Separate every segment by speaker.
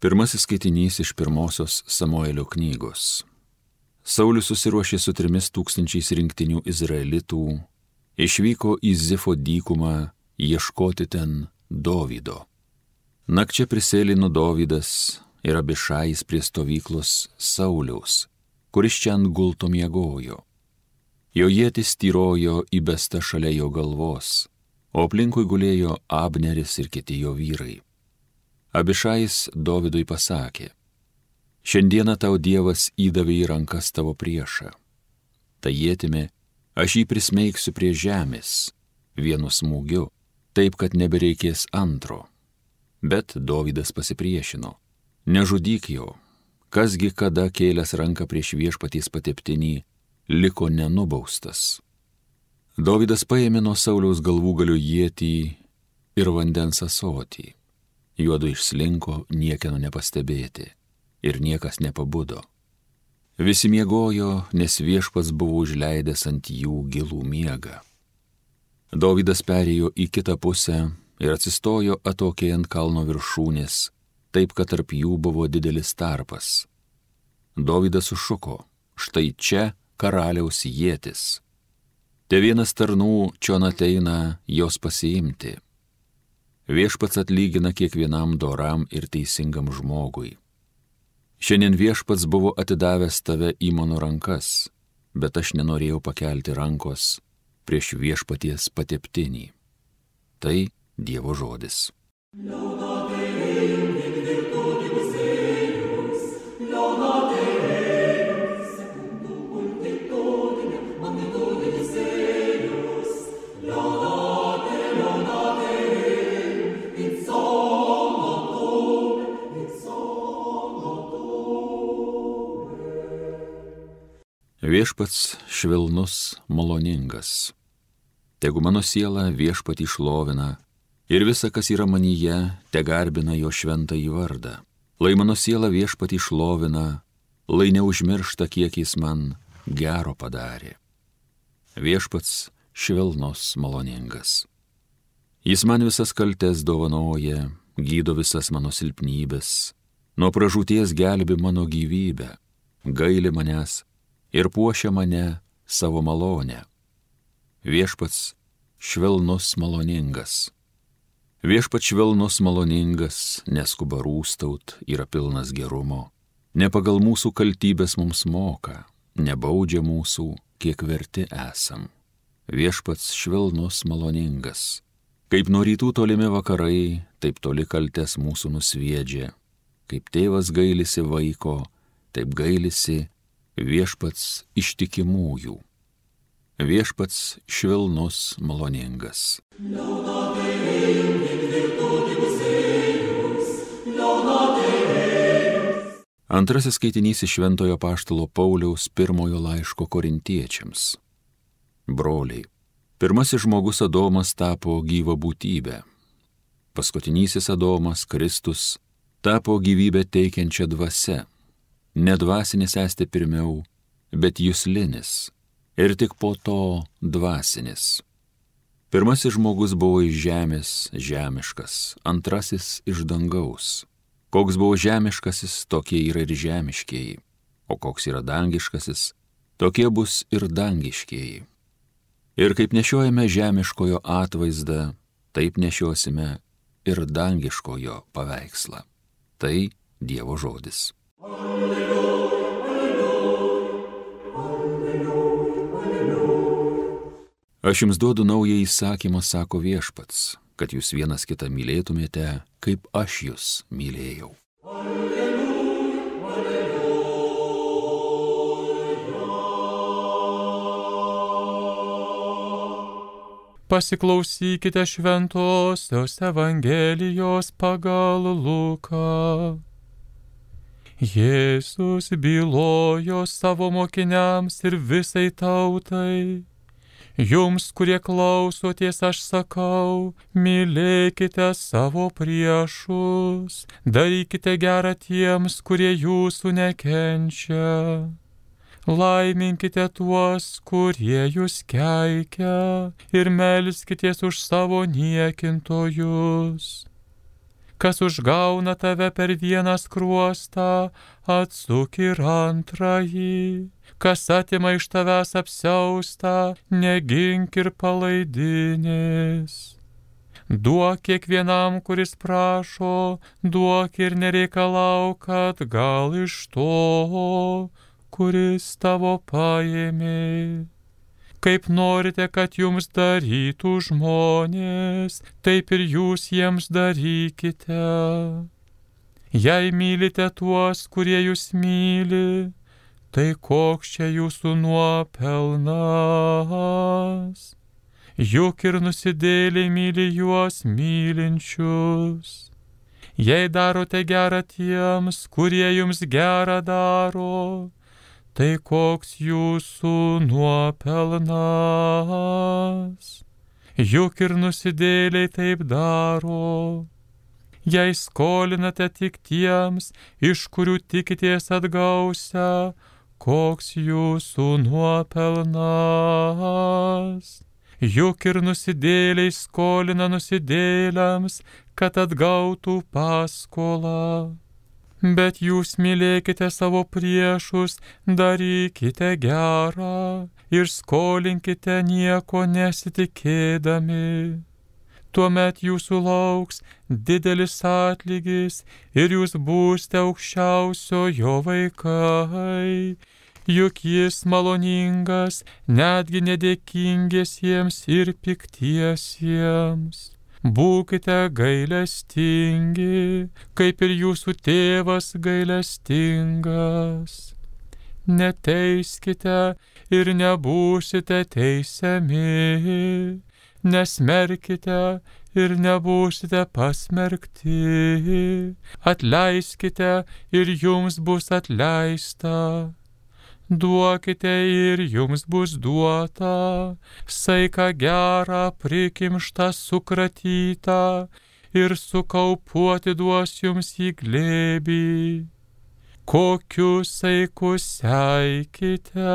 Speaker 1: Pirmasis skaitinys iš pirmosios Samuelio knygos. Saulius susiruošė su 3000 rinktinių izraelitų, išvyko į Zifo dykumą ieškoti ten Dovydo. Nakčia prisėlino Dovydas ir Abišajis prie stovyklos Sauliaus, kuris čia ant gulto miegojo. Jo ietis tyrojo įbesta šalia jo galvos, o aplinkui gulėjo Abneris ir kiti jo vyrai. Abišajis Dovydui pasakė: šiandieną tau Dievas įdavė į rankas tavo priešą. Ta ietimi aš jį prismeigsiu prie žemės, vienu smūgiu, taip, kad nebereikės antro. Bet Dovydas pasipriešino: nežudyk jo, kasgi kada kėlęs ranką prieš viešpaties pateptinį, liko nenubaustas. Dovydas paėmė nuo Sauliaus galvūgalio ietį ir vandens ąsotį. Juodu išslinko niekieno nepastebėti ir niekas nepabudo. Visi miegojo, nes viešpats buvo užleidęs ant jų gilų miegą. Dovydas perėjo į kitą pusę ir atsistojo atokiai ant kalno viršūnės, taip, kad tarp jų buvo didelis tarpas. Dovydas sušuko: štai čia karaliaus ietis. Te vienas tarnų čion ateina jos pasiimti. Viešpats atlygina kiekvienam doram ir teisingam žmogui. Šiandien viešpats buvo atidavęs tave į mano rankas, bet aš nenorėjau pakelti rankos prieš viešpaties pateptinį. Tai Dievo žodis. Viešpats švelnus, maloningas. Tegu mano siela viešpatį šlovina ir visa, kas yra manyje, te garbina jo šventąjį vardą. Lai mano siela viešpatį šlovina, lai neužmiršta, kiek jis man gero padarė. Viešpats švelnus, maloningas. Jis man visas kaltes dovanoja, gydo visas mano silpnybės, nuo pražūties gelbi mano gyvybę, gaili manęs ir puošia mane savo malonę. Viešpats švelnus, maloningas. Viešpats švelnus, maloningas, neskuba rūstaut, yra pilnas gerumo. Ne pagal mūsų kaltybės mums moka, nebaudžia mūsų, kiek verti esam. Viešpats švelnus, maloningas. Kaip nuo rytų tolimi vakarai, taip toli kaltes mūsų nusviedžia. Kaip tėvas gailisi vaiko, taip gailisi viešpats ištikimųjų. Viešpats švelnus, maloningas. Antrasis skaitinys iš Šventojo apaštalo Pauliaus pirmojo laiško korintiečiams. Broliai, pirmasis žmogus Adomas tapo gyva būtybė. Paskutinysis Adomas, Kristus, tapo gyvybę teikiančią dvasią. Nedvasinis esti pirmiau, bet juslinis, ir tik po to dvasinis. Pirmasis žmogus buvo iš žemės, žemiškas, antrasis iš dangaus. Koks buvo žemiškasis, tokie yra ir žemiškieji, o koks yra dangiškasis, tokie bus ir dangiškieji. Ir kaip nešiojame žemiškojo atvaizdą, taip nešiosime ir dangiškojo paveikslą. Tai Dievo žodis. Aš jums duodu naują įsakymą, sako viešpats, kad jūs vienas kitą mylėtumėte, kaip aš jūs mylėjau.
Speaker 2: Pasiklausykite šventosios Evangelijos pagal Luką. Jėzus bylojo savo mokiniams ir visai tautai: jums, kurie klausoties, aš sakau, mylėkite savo priešus, darykite gerą tiems, kurie jūsų nekenčia. Laiminkite tuos, kurie jūs keikia, ir melskitės už savo niekintojus. Kas užgauna tave per vieną skruostą, atsuk ir antrąjį. Kas atima iš tavęs apsiaustą, negink ir palaidinės. Duok kiekvienam, kuris prašo, duok ir nereikalauk, kad gal iš to, kuris tavo paėmė. Kaip norite, kad jums darytų žmonės, taip ir jūs jiems darykite. Jei mylite tuos, kurie jūs myli, tai koks čia jūsų nuopelnas? Juk ir nusidėliai myli juos mylinčius. Jei darote gerą tiems, kurie jums gerą daro, tai koks jūsų nuopelnas? Juk ir nusidėliai taip daro. Jei skolinate tik tiems, iš kurių tikitės atgausią, koks jūsų nuopelnas? Juk ir nusidėliai skolina nusidėliams, kad atgautų paskolą. Bet jūs mylėkite savo priešus, darykite gerą ir skolinkite nieko nesitikėdami. Tuomet jūsų lauks didelis atlygis ir jūs būsite aukščiausiojo vaikai. Juk jis maloningas netgi nedėkingiesiems ir piktiesiems. Būkite gailestingi, kaip ir jūsų tėvas gailestingas. Neteiskite ir nebūsite teisiami. Nesmerkite ir nebūsite pasmerkti. Atleiskite ir jums bus atleista. Duokite ir jums bus duota, saiką gerą, prikimštą, sukratytą ir sukaupuoti duos jums į glėbį. Kokiu saiku seikite,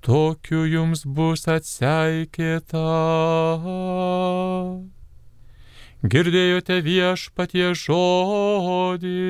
Speaker 2: tokiu jums bus atseikėta. Girdėjote Viešpaties žodį.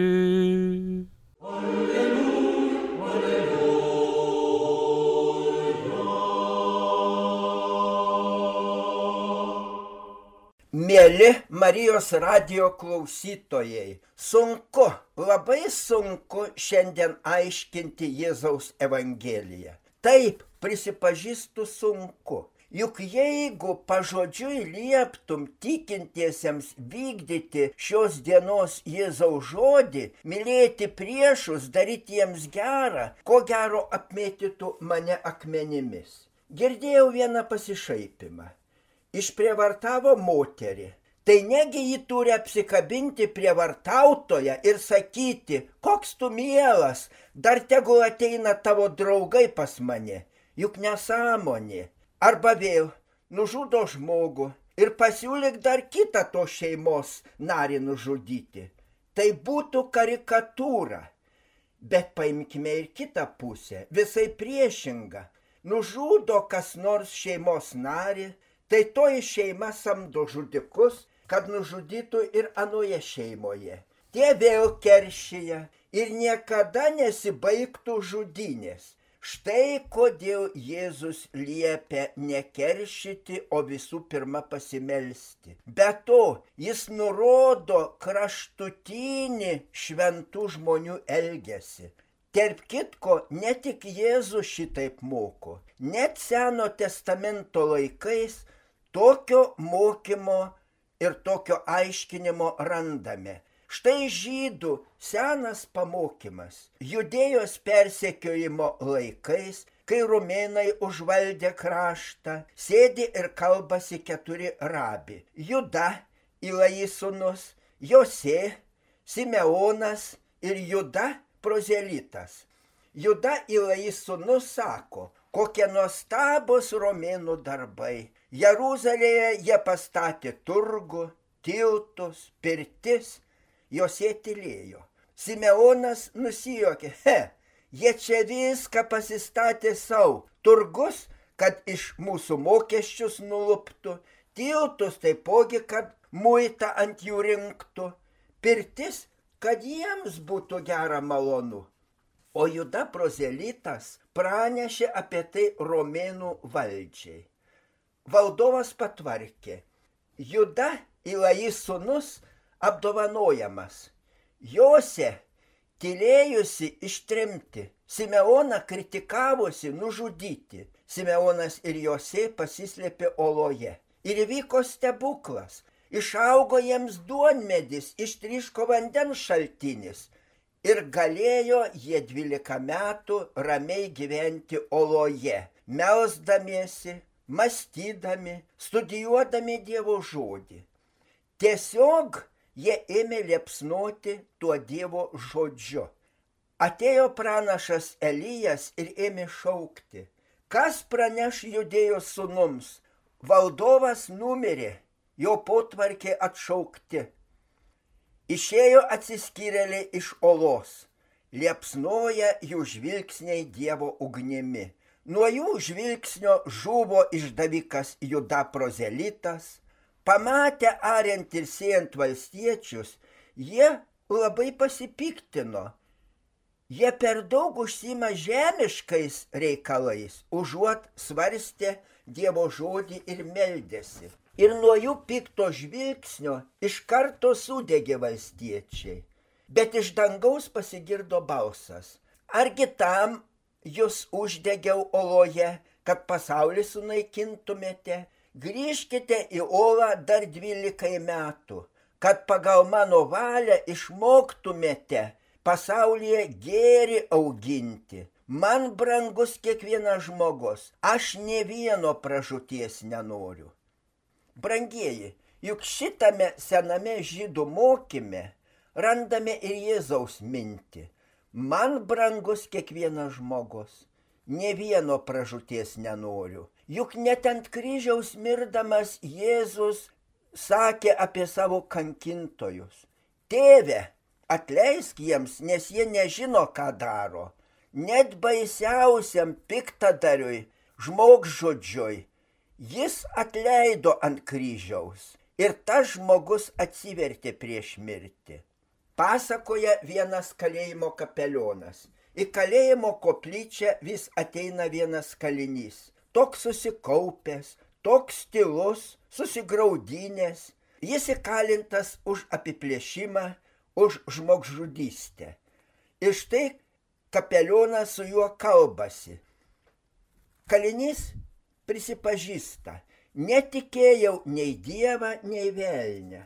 Speaker 3: Mieli Marijos radijo klausytojai, sunku, labai sunku šiandien aiškinti Jėzaus Evangeliją. Taip, prisipažįstu, sunku. Juk jeigu pažodžiui lieptum tikintiesiems vykdyti šios dienos Jėzaus žodį, mylėti priešus, daryti jiems gerą, ko gero apmėtytų mane akmenimis. Girdėjau vieną pasišaipimą. Išprievartavo moterį. Tai negi ji turi apsikabinti prievartautoją ir sakyti, koks tu mielas, dar tegul ateina tavo draugai pas mane, juk nesąmonė. Arba vėl nužudo žmogų ir pasiūlyk dar kitą to šeimos narį nužudyti. Tai būtų karikatūra. Bet paimkime ir kitą pusę, visai priešinga. Nužudo kas nors šeimos narį, tai toji šeima samdo žudikus, kad nužudytų ir anoje šeimoje. Tie vėl keršyja ir niekada nesibaigtų žudynės. Štai kodėl Jėzus liepia nekeršyti, o visų pirma pasimelsti. Be to, jis nurodo kraštutinį šventų žmonių elgesį. Tarp kitko, ne tik Jėzus šitaip moko. Net Seno testamento laikais tokio mokymo ir tokio aiškinimo randame. Štai žydų senas pamokymas. Judėjos persekiojimo laikais, kai romėnai užvaldė kraštą, sėdi ir kalbasi 4 rabi. Juda, Ilai sūnus, Josė, Simeonas ir Juda prozelitas. Juda Ilai sūnus sako, kokie nuostabus romėnų darbai. Jeruzalėje jie pastatė turgų, tiltus, pirtis, Josė tylėjo. Simeonas nusijuokė, jie čia viską pasistatė savo. Turgus, kad iš mūsų mokesčius nuluptų, tiltus taipogi, kad muitą ant jų rinktų. pirtis, kad jiems būtų gera malonu. O Juda prozelitas pranešė apie tai romėnų valdžiai. Valdovas patvarkė. Juda, Ilajis sūnus, apdovanojamas. Jose, tylėjusi ištremti, Simeoną kritikavusi nužudyti. Simeonas ir Jose pasislėpė oloje. Ir įvyko stebuklas. Išaugo jiems duonmedis, ištryško vandens šaltinis. Ir galėjo jie 12 metų ramiai gyventi oloje, melsdamiesi, mąstydami, studijuodami Dievo žodį. Tiesiog jie ėmė liepsnoti tuo Dievo žodžiu. Atėjo pranašas Elijas ir ėmė šaukti. Kas praneš Judėjos sūnums? Valdovas numirė, jo potvarkė atšaukti. Išėjo atsiskyrėliai iš olos. Liepsnoja jų žvilgsniai Dievo ugnimi. Nuo jų žvilgsnio žuvo išdavikas Juda prozelitas. Pamatę ariant ir siejant valstiečius, jie labai pasipiktino. Jie per daug užsima žemiškais reikalais, užuot svarstė Dievo žodį ir meldėsi. Ir nuo jų pikto žvilgsnio iš karto sudegė valstiečiai. Bet iš dangaus pasigirdo balsas. Argi tam jūs uždegiau oloje, kad pasaulį sunaikintumėte? Grįžkite į olą dar 12 metų, kad pagal mano valią išmoktumėte pasaulyje gėrį auginti. Man brangus kiekvienas žmogus, aš nė vieno pražūties nenoriu. Brangieji, juk šitame sename žydų mokyme randame ir Jėzaus mintį. Man brangus kiekvienas žmogus, nė vieno pražūties nenoriu. Juk net ant kryžiaus mirdamas Jėzus sakė apie savo kankintojus. Tėve, atleisk jiems, nes jie nežino, ką daro. Net baisiausiam piktadariui, žmogžudžiui, jis atleido ant kryžiaus ir tas žmogus atsivertė prieš mirtį. Pasakoja vienas kalėjimo kapelionas. Į kalėjimo koplyčią vis ateina vienas kalinys. Toks susikaupęs, toks tylus, susigraudinęs. Jis įkalintas už apiplėšimą, už žmogžudystę. Ir štai kapelionas su juo kalbasi. Kalinys prisipažįsta, netikėjau nei Dievą, nei velnią.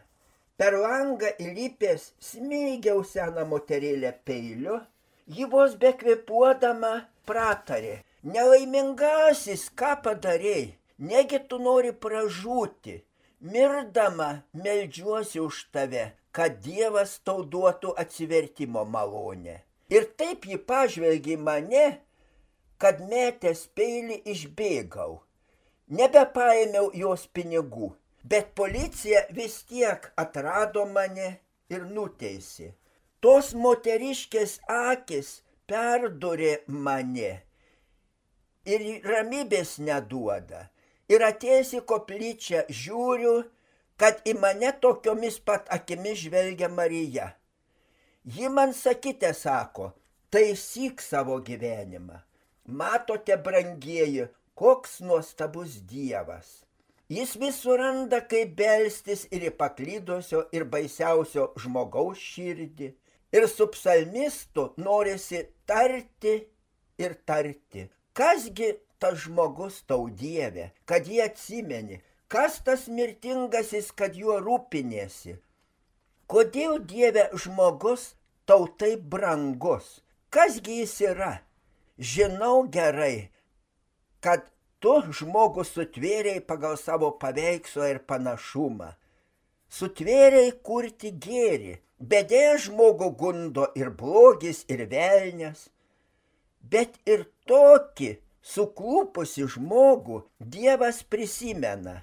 Speaker 3: Per langą įlipęs smeigiau seną moterėlę peiliu, ji vos bekvėpuodama pratarė. Nelaimingasis, ką padarei, negi tu nori pražūti. Mirdama meldžiuosi už tave, kad Dievas tau duotų atsivertimo malonę. Ir taip ji pažvelgė mane, kad metęs peilį išbėgau. Nebepaėmiau jos pinigų, bet policija vis tiek atrado mane ir nuteisė. Tos moteriškės akis perdurė mane ir ramybės neduoda. Ir atėjęs į koplyčią žiūriu, kad į mane tokiomis pat akimis žvelgia Marija. Ji man sakite, sako, taisyk savo gyvenimą. Matote, brangieji, koks nuostabus Dievas. Jis vis suranda, kaip belstis ir į paklydusio ir baisiausio žmogaus širdį. Ir su psalmistu norisi tarti ir tarti. Kasgi tas žmogus tau, Dieve, kad jį atsimeni? Kas tas mirtingasis, kad juo rūpinėsi? Kodėl, Dieve, žmogus tau taip brangus? Kasgi jis yra? Žinau gerai, kad tu žmogus sutvėrei pagal savo paveikslą ir panašumą. Sutvėrei kurti gėrį, bet žmogų gundo ir blogis, ir velnias. Bet ir tokį suklūpusi žmogų Dievas prisimena.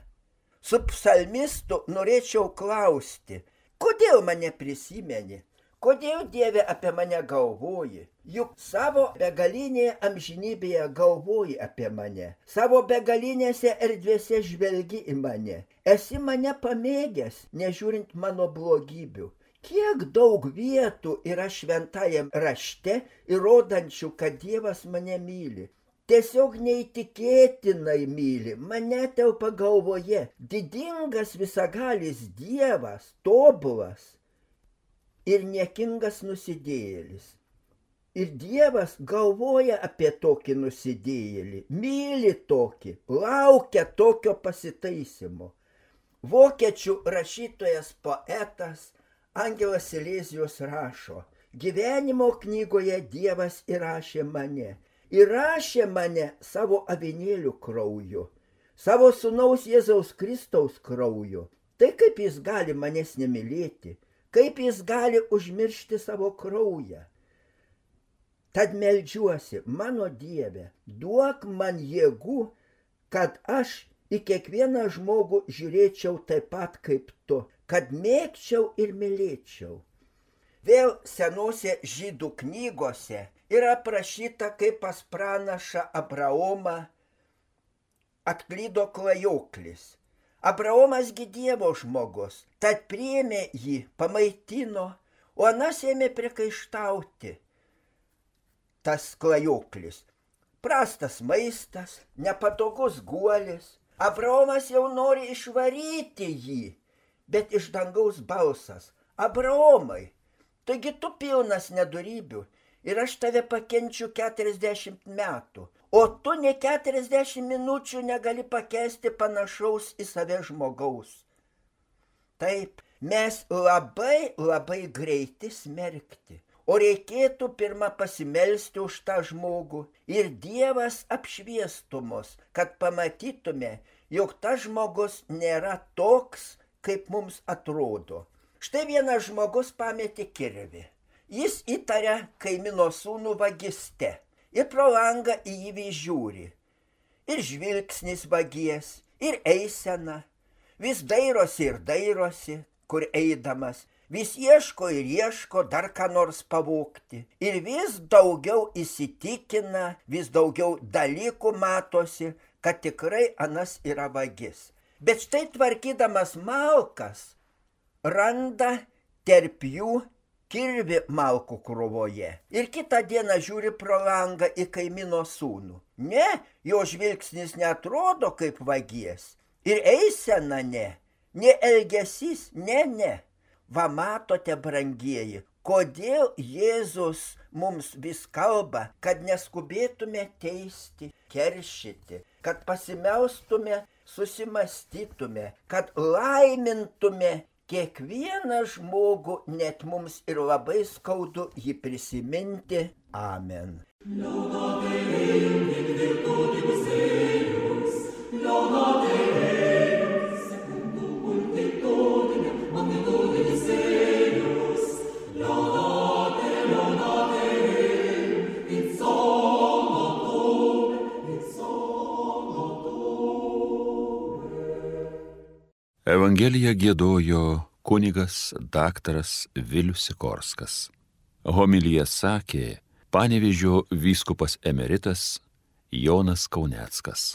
Speaker 3: Su psalmistu norėčiau klausti, kodėl mane prisimeni? Kodėl, Dieve, apie mane galvoji? Juk savo begalinėje amžinybėje galvoji apie mane. Savo begalinėse erdvėse žvelgi į mane. Esi mane pamėgęs, nežiūrint mano blogybių. Kiek daug vietų yra šventajam rašte įrodančių, kad Dievas mane myli. Tiesiog neįtikėtinai myli, mane telpa galvoje, didingas visagalis Dievas, tobulas ir niekingas nusidėjėlis. Ir Dievas galvoja apie tokį nusidėjėlį, myli tokį, laukia tokio pasitaisymo. Vokiečių rašytojas poetas Angelas Silezijus rašo, gyvenimo knygoje Dievas įrašė mane. Įrašė mane savo avinėlių krauju, savo sūnaus Jėzaus Kristaus krauju. Tai kaip jis gali manęs nemylėti, kaip jis gali užmiršti savo kraują. Tad meldžiuosi, mano Dieve, duok man jėgų, kad aš į kiekvieną žmogų žiūrėčiau taip pat kaip tu, kad mėgčiau ir mylėčiau. Vėl senose žydų knygose yra aprašyta, kaip pas pranašą Abraomą atklydo klajoklis. Abraomas gi Dievo žmogus, tad priėmė jį, pamaitino, o anas ėmė priekaištauti. Tas klajoklis. Prastas maistas, nepatogus guolis. Abraomas jau nori išvaryti jį, bet iš dangaus balsas. Abraomai, taigi tu pilnas nedorybių. Ir aš tave pakenčiu 40 metų, o tu ne 40 minučių negali pakęsti panašaus į save žmogaus. Taip, mes labai greiti smerkti, o reikėtų pirmą pasimelsti už tą žmogų ir Dievas apšviestų mus, kad pamatytume, jog tas žmogus nėra toks, kaip mums atrodo. Štai vienas žmogus pametė kirvį. Jis įtaria kaimyno sūnų vagyste ir pro langą į jį žiūri. Ir žvilgsnis vagies, ir eisena. Vis dairosi ir dairosi, kur eidamas. Vis ieško ir ieško dar ką nors pavogti. Ir vis daugiau įsitikina, vis daugiau dalykų matosi, kad tikrai anas yra vagis. Bet štai tvarkydamas malkas randa tarp jų kirvi malkų krūvoje. Ir kitą dieną žiūri pro langą į kaimyno sūnų. Ne, jo žvilgsnis neatrodo kaip vagies. Ir eisena ne elgesys, ne. Va matote, brangieji, kodėl Jėzus mums vis kalba, kad neskubėtume teisti, keršyti, kad pasimelstume, susimastytume, kad laimintume kiekvieną žmogų, net mums ir labai skaudu jį prisiminti. Amen.
Speaker 1: Evangeliją giedojo kunigas daktaras Vilius Sikorskas. Homiliją sakė Panevėžio vyskupas emeritas Jonas Kauneckas.